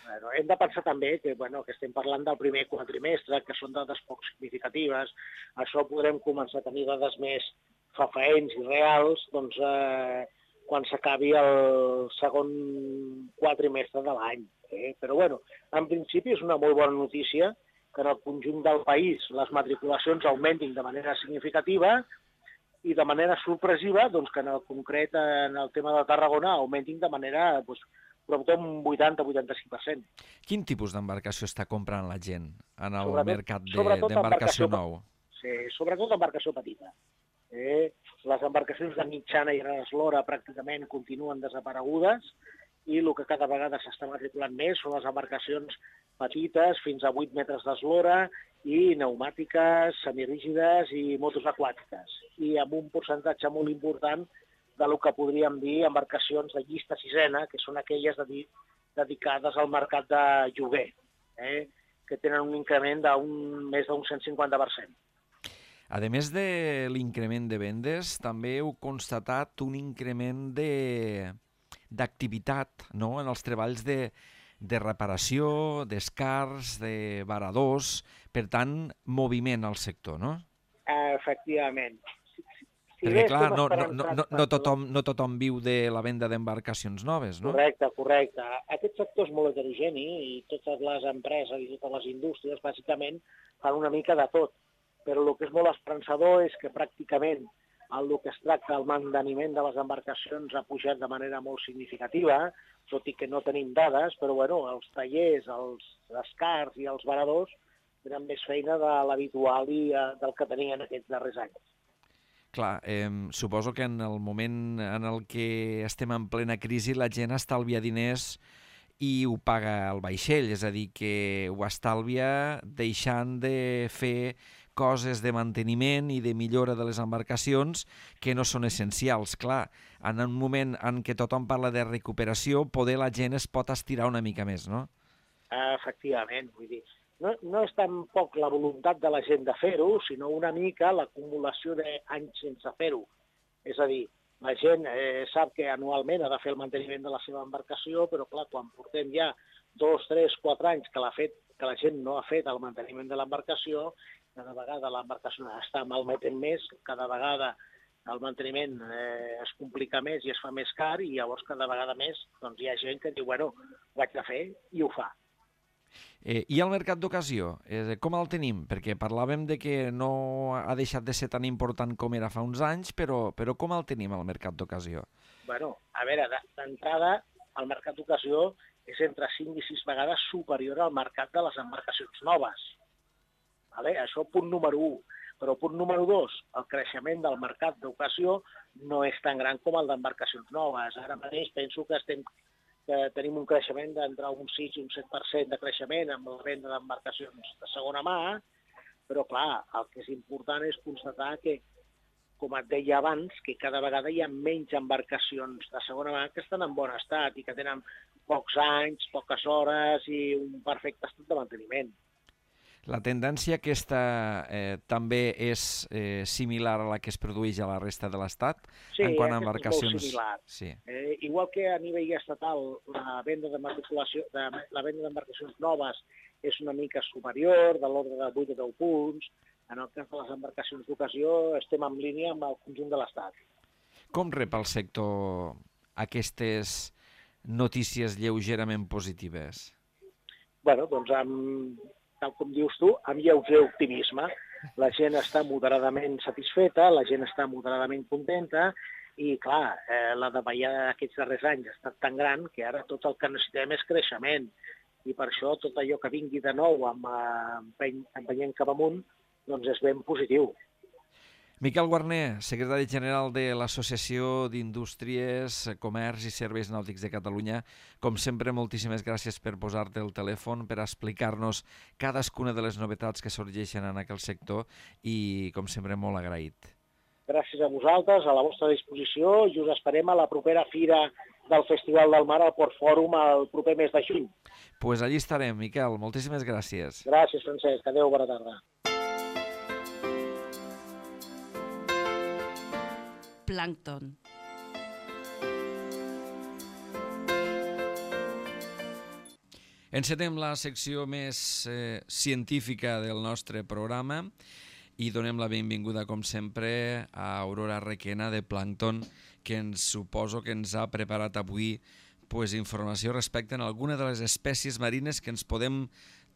Bueno, hem de pensar també que estem parlant del primer quadrimestre, que són dades poc significatives. Això podrem començar a tenir dades més fefaents i reals quan s'acabi el segon quadrimestre de l'any. Però, en principi és una molt bona notícia que en el conjunt del país les matriculacions augmentin de manera significativa i de manera sorpresiva, que en el concret, en el tema de Tarragona, augmentin de manera prop d'un 80-85%. Quin tipus d'embarcació està comprant la gent en el mercat Sobretot d'embarcació nou? Sí, sobretot embarcació petita. Les embarcacions de mitjana i gran eslora pràcticament continuen desaparegudes i el que cada vegada s'està matriculant més són les embarcacions petites, fins a 8 metres d'eslora, i pneumàtiques, semirígides i motos aquàtiques. I amb un percentatge molt important del que podríem dir embarcacions de llista sisena, que són aquelles dedicades al mercat de lloguer, que tenen un increment més d'un 150%. A més de l'increment de vendes, també heu constatat un increment d'activitat, no?, en els treballs de reparació, d'escars, de varadors, per tant, moviment al sector, no? Efectivament. Perquè, clar, no tothom viu de la venda d'embarcacions noves, no? Correcte. Aquest sector és molt heterogeni i totes les empreses i totes les indústries, bàsicament, fan una mica de tot. Però el que és molt esperançador és que pràcticament el que es tracta, el manteniment de les embarcacions ha pujat de manera molt significativa, tot i que no tenim dades, però bueno, els tallers, els escars i els varadors tenen més feina de l'habitual i del que tenien aquests darrers anys. Clar, suposo que en el moment en el que estem en plena crisi la gent estalvia diners i ho paga el vaixell, és a dir, que ho estalvia deixant de fer coses de manteniment i de millora de les embarcacions que no són essencials. Clar, en un moment en què tothom parla de recuperació, poder la gent es pot estirar una mica més, no? Efectivament, vull dir, no és tampoc la voluntat de la gent de fer-ho, sinó una mica l'acumulació d'anys sense fer-ho. És a dir, la gent sap que anualment ha de fer el manteniment de la seva embarcació, però clar, quan portem ja 2, 3, 4 anys que la gent no ha fet el manteniment de l'embarcació, cada vegada l'embarcació està malmetent més, cada vegada el manteniment es complica més i es fa més car i llavors cada vegada més doncs, hi ha gent que diu, bueno, ho haig de fer i ho fa. I el mercat d'ocasió, com el tenim? Perquè parlàvem de que no ha deixat de ser tan important com era fa uns anys, però com el tenim, el mercat d'ocasió? Bueno, a veure, d'entrada, el mercat d'ocasió és entre 5 i 6 vegades superior al mercat de les embarcacions noves. Això punt número 1. Però punt número 2, el creixement del mercat d'ocasió no és tan gran com el d'embarcacions noves. Ara mateix penso que tenim un creixement d'entre un 6 i un 7% de creixement amb la venda d'embarcacions de segona mà, però clar, el que és important és constatar que, com et deia abans, que cada vegada hi ha menys embarcacions de segona mà que estan en bon estat i que tenen pocs anys, poques hores i un perfecte estat de manteniment. La tendència aquesta també és similar a la que es produeix a la resta de l'Estat? Sí, en quant a embarcacions... és molt similar. Sí. Igual que a nivell estatal la venda d'embarcacions noves és una mica superior, de l'ordre de 8 o 10 punts, en el cas de les embarcacions d'ocasió estem en línia amb el conjunt de l'Estat. Com rep el sector aquestes notícies lleugerament positives? Bueno, doncs tal com dius tu, amb lleuger optimisme. La gent està moderadament satisfeta, la gent està moderadament contenta i, clar, la davallada d'aquests darrers anys ha estat tan gran que ara tot el que necessitem és creixement. I per això tot allò que vingui de nou empenyent cap amunt doncs és ben positiu. Miquel Guarner, secretari general de l'Associació d'Indústries, Comerç i Serveis Nàutics de Catalunya. Com sempre, moltíssimes gràcies per posar-te el telèfon, per explicar-nos cadascuna de les novetats que sorgeixen en aquell sector i, com sempre, molt agraït. Gràcies a vosaltres, a la vostra disposició, i us esperem a la propera fira del Festival del Mar al Port Fòrum el proper mes de juny. Pues allí estarem, Miquel. Moltíssimes gràcies. Gràcies, Francesc. Adéu, bona tarda. Plàncton. Encetem la secció més científica del nostre programa i donem la benvinguda, com sempre, a Aurora Requena de Plàncton, que suposo que ens ha preparat avui informació respecte a alguna de les espècies marines que ens podem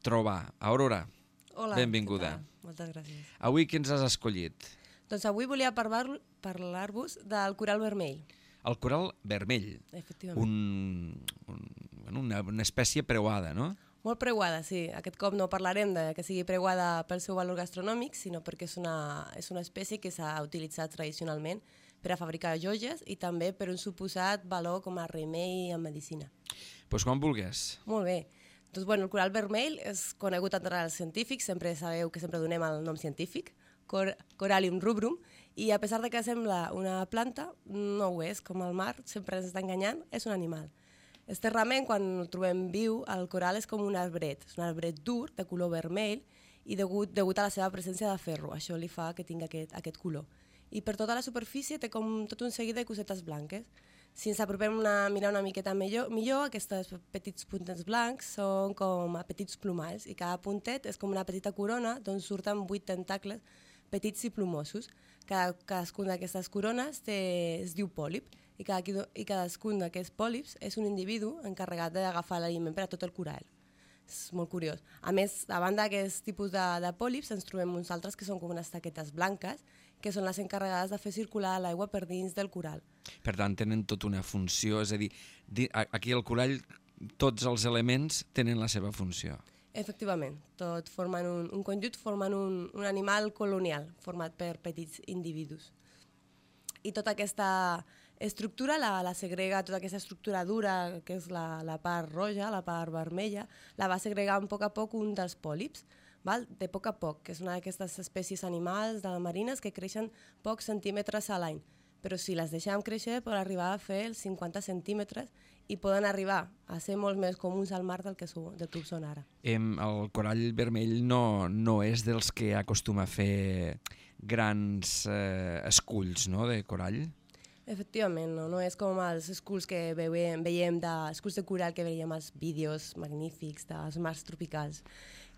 trobar. Aurora, hola, benvinguda. Moltes gràcies. Avui què ens has escollit? Doncs avui volia parlar-vos del coral vermell. El coral vermell, una espècie preuada, no? Molt preuada, sí. Aquest cop no parlarem de que sigui preuada pel seu valor gastronòmic, sinó perquè és una espècie que s'ha utilitzat tradicionalment per a fabricar joies i també per un suposat valor com a remei en medicina. Doncs quan vulguis. Molt bé. Doncs, el coral vermell és conegut entre els científics, sempre sabeu que sempre donem el nom científic, Corallium rubrum, i a pesar de que sembla una planta, no ho és, com el mar, sempre ens està enganyant, és un animal. Externament, quan el trobem viu, el coral és com un arbret, és un arbret dur, de color vermell, i degut a la seva presència de ferro, això li fa que tingui aquest color. I per tota la superfície té com tot un seguit de cosetes blanques. Si ens apropem a mirar una miqueta millor, aquests petits puntets blancs són com a petits plomalls i cada puntet és com una petita corona d'on surten 8 tentacles petits i plomosos. Cadascun d'aquestes corones es diu pòlip i cadascun d'aquests pòlips és un individu encarregat d'agafar l'aliment per a tot el coral. És molt curiós. A més, a banda d'aquest tipus de pòlips, ens trobem uns altres que són com unes taquetes blanques, que són les encarregades de fer circular l'aigua per dins del coral. Per tant, tenen tota una funció, és a dir, aquí al corall tots els elements tenen la seva funció. Efectivament, tot formen un conjunt, formen un animal colonial format per petits individus. I tota aquesta estructura la segrega, tota aquesta estructura dura, que és la part roja, la part vermella, la va segregar a poc un dels pòlips, de poc a poc, que és una d'aquestes espècies animals marines que creixen pocs centímetres a l'any. Però si les deixem créixer poden arribar a fer els 50 centímetres i poden arribar a ser molt més comuns al mar del que ho són ara. El corall vermell no és dels que acostuma a fer grans esculls, no?, de corall? Efectivament, no és com els esculls que veiem esculls de coral que veiem als vídeos magnífics dels mars tropicals.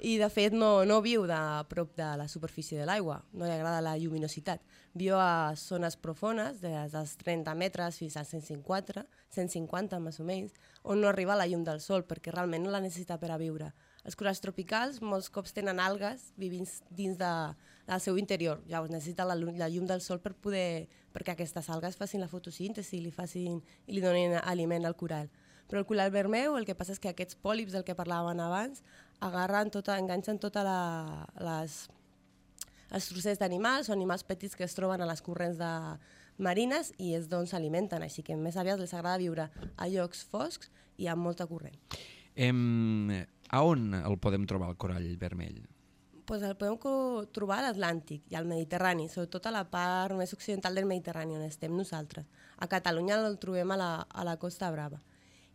I, de fet, no viu a prop de la superfície de l'aigua, no li agrada la lluminositat. Viu a zones profundes, des dels 30 metres fins a 150 més o menys, on no arriba la llum del sol, perquè realment no la necessita per a viure. Els corals tropicals molts cops tenen algues vivint dins del seu interior. Llavors necessita la llum del sol perquè aquestes algues facin la fotosíntesi i li donin aliment al coral. Però el coral vermell, el que passa és que aquests pòlips del que parlàvem abans enganxen totes els trossets d'animals o animals petits que es troben a les corrents marines i és d'on s'alimenten, així que més aviat els agrada viure a llocs foscs i amb molta corrent. A on el podem trobar, el corall vermell? El podem trobar a l'Atlàntic i al Mediterrani, sobretot a la part més occidental del Mediterrani, on estem nosaltres. A Catalunya el trobem a la Costa Brava.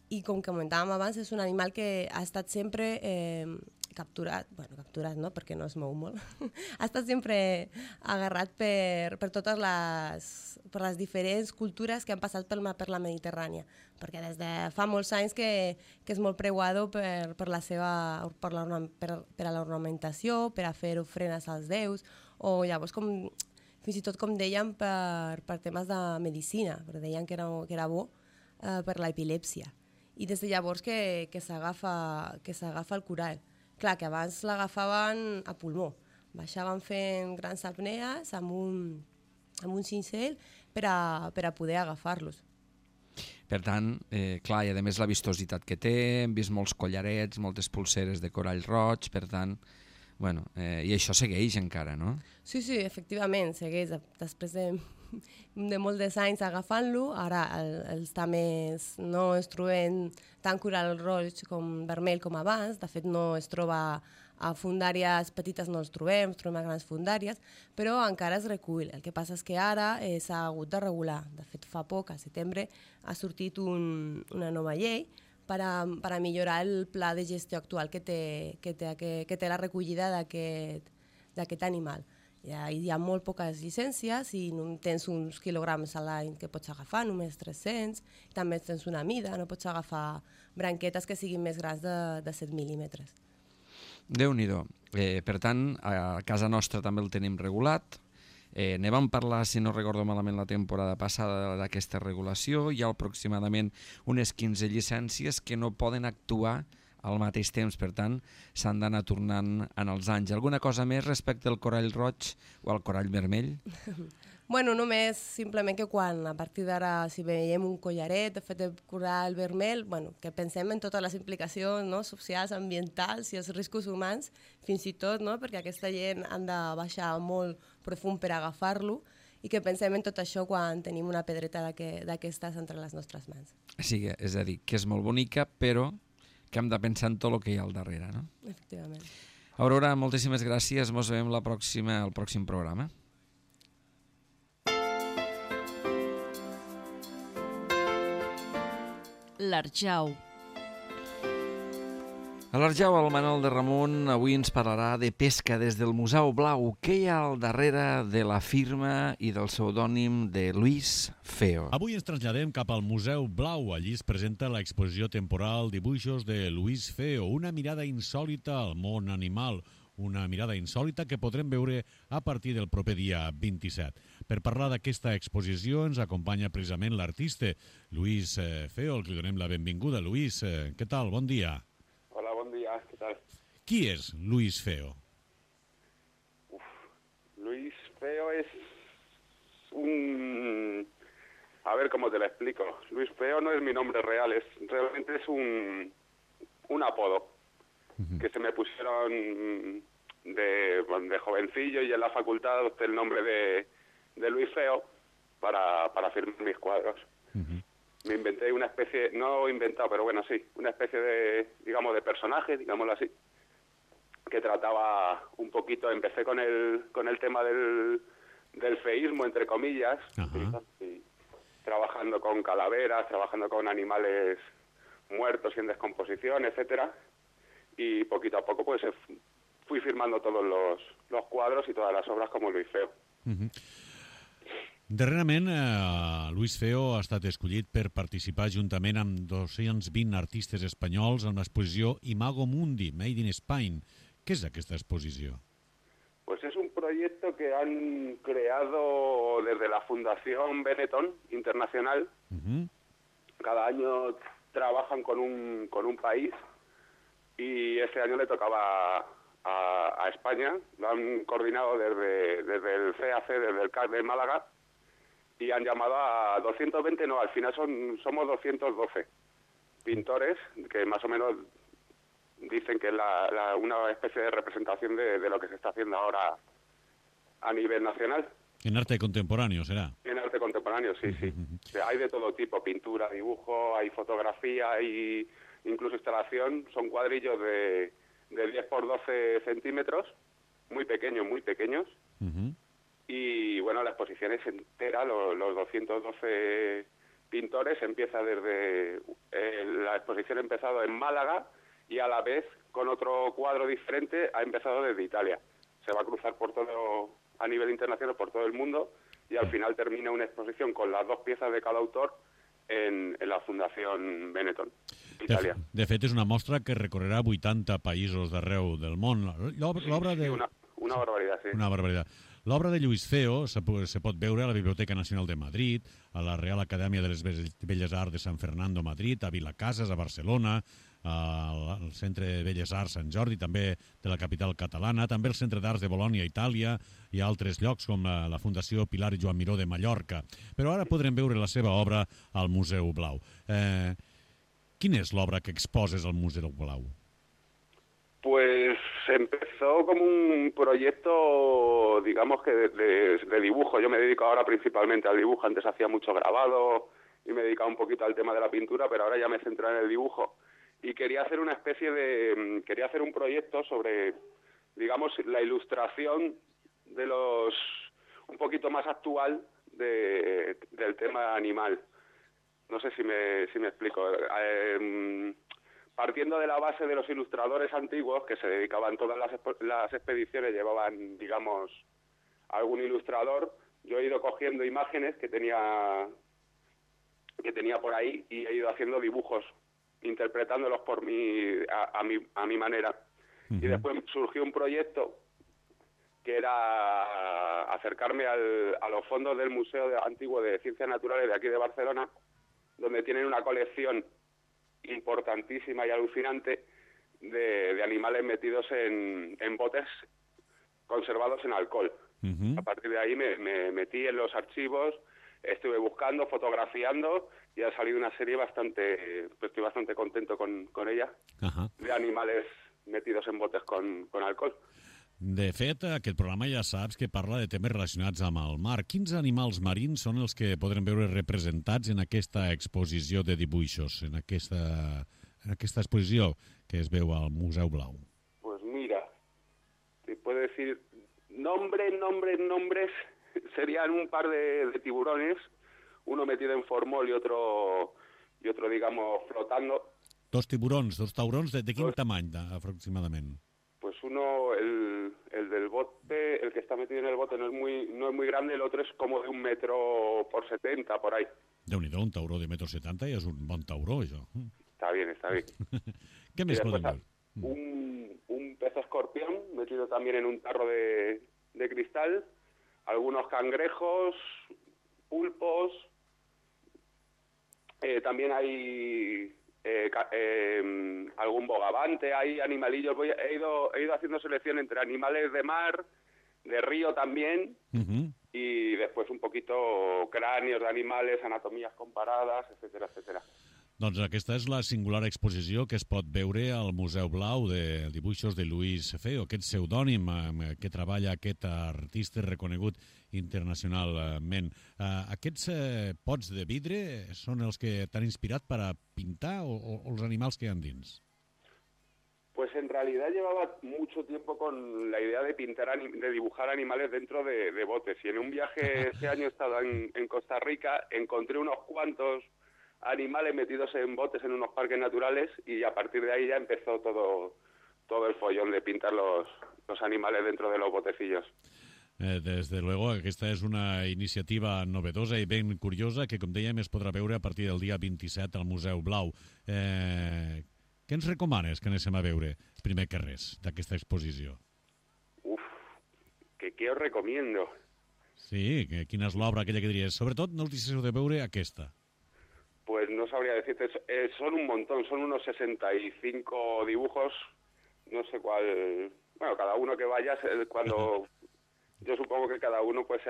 I com comentàvem abans, és un animal que ha estat sempre capturat no, perquè no es mou molt, ha estat sempre agarrat per totes les diferents cultures que han passat per la Mediterrània, perquè des de fa molts anys que és molt preuado per a l'ornamentació, per a fer ofrenes als déus, o llavors fins i tot com deien per temes de medicina, perquè deien que era bo per l'epilèpsia. I des de llavors que s'agafa el corall. Clar, que abans l'agafaven a pulmó. Baixaven fent grans apnees amb un cincell per a poder agafar-los. Per tant, clar, i a més la vistositat que té, hem vist molts collarets, moltes pulseres de corall roig, per tant, i això segueix encara, no? Sí, efectivament, segueix. Després de molts anys agafant-lo, ara els tames no es troben tant corall roig com vermell com abans, de fet no es troba a fondàries petites, no els trobem a grans fondàries, però encara es recull. El que passa és que ara s'ha hagut de regular. De fet, fa poc, al setembre, ha sortit una nova llei per a millorar el pla de gestió actual que té la recollida d'aquest animal. Hi ha molt poques llicències i tens uns quilograms a l'any que pots agafar, només 300, també tens una mida, no pots agafar branquetes que siguin més grans de 7 mil·límetres. Déu-n'hi-do. Per tant, a casa nostra també el tenim regulat. Ne vam parlar, si no recordo malament, la temporada passada d'aquesta regulació. Hi ha aproximadament unes 15 llicències que no poden actuar al mateix temps, per tant, s'han d'anar tornant en els anys. Alguna cosa més respecte al corall roig o al corall vermell? Bueno, només simplement que quan a partir d'ara si veiem un collaret fet de corall vermell, bueno, que pensem en totes les implicacions, no? Socials, ambientals i els riscos humans, fins i tot, no? Perquè aquesta gent han de baixar molt profund per agafar-lo, i que pensem en tot això quan tenim una pedreta d'aquestes entre les nostres mans. Sí, és a dir, que és molt bonica, però que hem de pensar en tot el que hi ha al darrere, no? Efectivament. Aurora, moltíssimes gràcies. Ens veiem al pròxim programa. L'Arjau. A l'Arjau, el Manol de Ramon avui ens parlarà de pesca des del Museu Blau. Què hi ha al darrere de la firma i del pseudònim de Luis Feo? Avui ens traslladem cap al Museu Blau. Allí es presenta l'exposició temporal Dibuixos de Luis Feo, una mirada insòlita al món animal, una mirada insòlita que podrem veure a partir del proper dia 27. Per parlar d'aquesta exposició ens acompanya precisament l'artista Luis Feo, al que li donem la benvinguda. Luis, què tal? Bon dia. Hola, bon dia, què tal? Qui és Luis Feo? Luis Feo es un... A ver cómo te lo explico. Luis Feo no es mi nombre real, realmente es un apodo que se me pusieron de jovencillo, y en la facultad adopté el nombre de Luis Feo para firmar mis cuadros. Me inventé una especie, no inventado, pero bueno, sí, una especie de, digamos, de personaje, digámoslo así, que trataba un poquito, empecé con el tema del feísmo, entre comillas, y trabajando con calaveras, trabajando con animales muertos y en descomposición, etcétera, y poquito a poco pues fui firmando todos los cuadros y todas las obras como Luis Feo. Darrerament, Luis Feo ha estat escollit per participar juntament amb 220 artistes espanyols en l'exposició Imago Mundi, Made in Spain. ¿Qué es aquesta exposició? Pues es un proyecto que han creado desde la Fundación Benetton Internacional. Cada año trabajan con un país y este año le tocaba a España. Lo han coordinado desde el CAC, desde el CAC de Málaga, y han llamado a 220, no, al final somos 212 pintores que más o menos dicen que es una especie de representación de lo que se está haciendo ahora a nivel nacional. En arte contemporáneo, ¿será? En arte contemporáneo, sí, sí. O sea, hay de todo tipo, pintura, dibujo, hay fotografía, hay incluso instalación. Son cuadrillos de 10 por 12 centímetros, muy pequeños. Y bueno, la exposición es entera, los 212 pintores. Empieza desde... la exposición ha empezado en Málaga y a la vez, con otro cuadro diferente, ha empezado desde Italia. Se va a cruzar por todo, a nivel internacional, por todo el mundo, y al final termina una exposición con las dos piezas de cada autor en la Fundación Benetton, Itàlia. De fet, és una mostra que recorrerà 80 països d'arreu del món. L'obra de... Una barbaritat, sí. Una barbaritat. L'obra de Luis Feo se pot veure a la Biblioteca Nacional de Madrid, a la Real Acadèmia de les Belles Arts de San Fernando, Madrid, a Vilacases, a Barcelona, al Centre de Belles Arts Sant Jordi, també de la capital catalana, també al Centre d'Arts de Bolònia, Itàlia, i altres llocs com la Fundació Pilar i Joan Miró de Mallorca. Però ara podrem veure la seva obra al Museu Blau. Quina és l'obra que exposes al Museu Blau? Pues empezó como un proyecto, digamos que de dibujo. Yo me dedico ahora principalmente al dibujo. Antes hacía mucho grabado y me dedicaba un poquito al tema de la pintura, pero ahora ya me centro en el dibujo. Y quería hacer quería hacer un proyecto sobre, digamos, la ilustración de un poquito más actual del tema animal. No sé si me explico. Partiendo de la base de los ilustradores antiguos que se dedicaban, todas las expediciones llevaban, digamos, algún ilustrador, yo he ido cogiendo imágenes que tenía por ahí y he ido haciendo dibujos, interpretándolos a mi manera. Y después surgió un proyecto que era acercarme a los fondos del Museo Antiguo de Ciencias Naturales de aquí de Barcelona, donde tienen una colección importantísima y alucinante de animales metidos en botes conservados en alcohol. A partir de ahí me metí en los archivos, estuve buscando, fotografiando y ha salido una serie estoy bastante contento con ella, de animales metidos en botes con alcohol. De fet, aquest programa ja saps que parla de temes relacionats amb el mar. Quins animals marins són els que podrem veure representats en aquesta exposició de dibuixos, en aquesta exposició que es veu al Museu Blau? Pues mira, te puedo decir nombres, serían un par de tiburones, uno metido en formol y otro digamos, flotando. Dos tiburons, dos taurons, de quin tamany, aproximadament? Pues uno, el del bote, el que está metido en el bote no es muy grande, el otro es como de 1 metro por 70, por ahí. Déu-n'hi-do, un tauró de 1,70 m ja és un bon tauró, això. Está bien. ¿Qué més podem ver? Un pez escorpión metido también en un tarro de cristal, algunos cangrejos, pulpos, también hay algún bogavante, hay animalillos. He ido haciendo selección entre animales de mar, de río también, y después un poquito cráneos de animales, anatomías comparadas, etcétera, etcétera. Doncs aquesta és la singular exposició que es pot veure al Museu Blau de dibuixos de Luis Feo, aquest pseudònim que treballa aquest artista reconegut internacionalment. Aquests pots de vidre són els que t'han inspirat per a pintar o els animals que hi ha dins? Pues en realidad llevaba mucho tiempo con la idea de de dibujar animales dentro de botes. Y en un viaje este año he estado en Costa Rica, encontré unos cuantos animales metidos en botes en unos parques naturales y a partir de ahí ya empezó todo el follón de pintar los animales dentro de los botecillos. Desde luego, aquesta és una iniciativa novedosa i ben curiosa que, com dèiem, es podrà veure a partir del dia 27 al Museu Blau. Què ens recomanes que anéssim a veure, primer que res, d'aquesta exposició? ¿Qué os recomiendo? Sí, quina és l'obra aquella que diries? Sobretot no us deixeu de veure aquesta. Pues no sabría decirte, son un montón, son unos 65 dibujos, no sé cuál, bueno, cada uno que vaya, cuando yo supongo que cada uno pues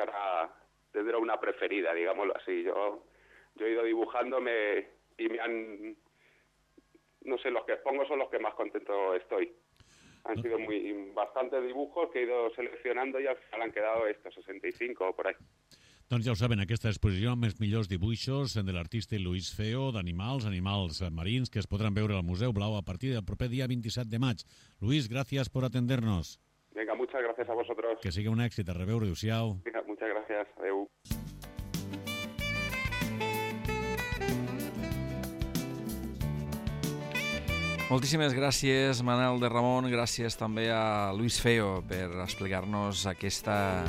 tendrá una preferida, digámoslo así. Yo he ido dibujándome y me han, no sé, los que expongo son los que más contento estoy. Han sido bastantes dibujos que he ido seleccionando y al final han quedado estos 65 o por ahí. Doncs ja ho saben, aquesta exposició amb els millors dibuixos de l'artista Luis Feo d'animals marins que es podran veure al Museu Blau a partir del proper dia 27 de maig. Luis, gracias por atendernos. Venga, muchas gracias a vosotros. Que sigui un èxit. A reveure, adéu-siau. Venga, muchas gracias. Adéu. Moltíssimes gràcies, Manel de Ramon. Gràcies també a Luis Feo per explicar-nos aquesta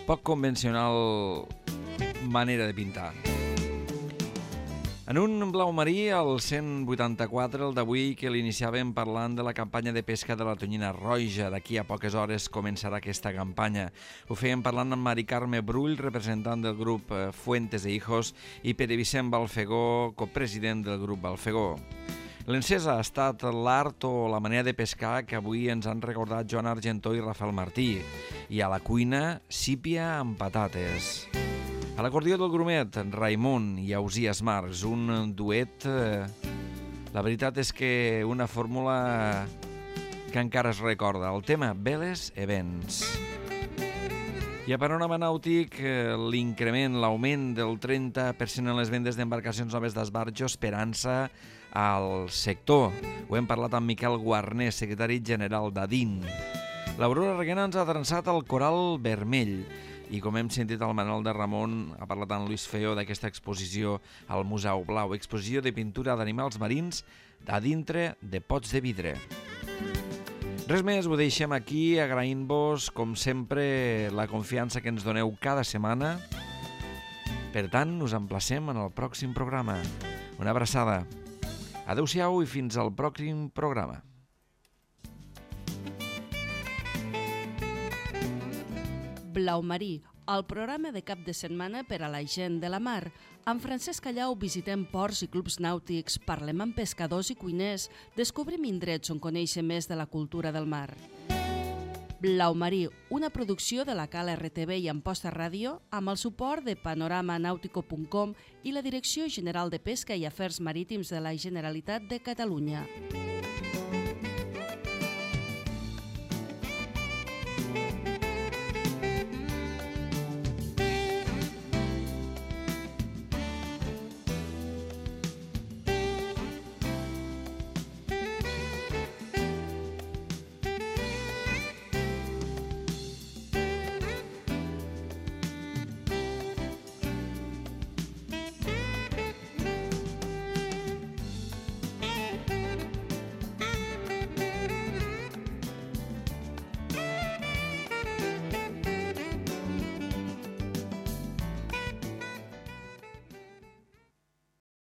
poc convencional manera de pintar. En un blau marí, el 184, el d'avui, que l'iniciàvem parlant de la campanya de pesca de la tonyina roja. D'aquí a poques hores començarà aquesta campanya. Ho fèiem parlant amb Mari Carme Brull, representant del grup Fuentes e Hijos, i Pere Vicent Balfegó, copresident del grup Balfegó. L'encesa ha estat l'art o la manera de pescar que avui ens han recordat Joan Argentó i Rafael Martí. I a la cuina, sípia amb patates. A l'acordió del grumet, Raimon i Ausias Marcs, un duet, la veritat és que una fórmula que encara es recorda. El tema Veles e Vents. I a panorama nàutic, l'increment, l'augment del 30% en les vendes d'embarcacions noves d'esbarjo, esperança al sector. Ho hem parlat amb Miquel Guarner, secretari general d'Adin. L'Aurora Reguena ens ha trançat el coral vermell i, com hem sentit, el Manel de Ramon ha parlat amb Luis Feo d'aquesta exposició al Museu Blau, exposició de pintura d'animals marins a dintre de pots de vidre. Res més, ho deixem aquí, agraint-vos, com sempre, la confiança que ens doneu cada setmana. Per tant, us emplacem en el pròxim programa. Una abraçada. Adéu-siau i fins al pròxim programa. Blau marí, el programa de cap de setmana per a la gent de la mar. Amb Francesc Callau visitem ports i clubs nàutics, parlem amb pescadors i cuiners, descobrim indrets on conèixer més de la cultura del mar. Blau Marí, una producció de la Cal RTV i Amposta Ràdio, amb el suport de panoramanautico.com i la Direcció General de Pesca i Afers Marítims de la Generalitat de Catalunya.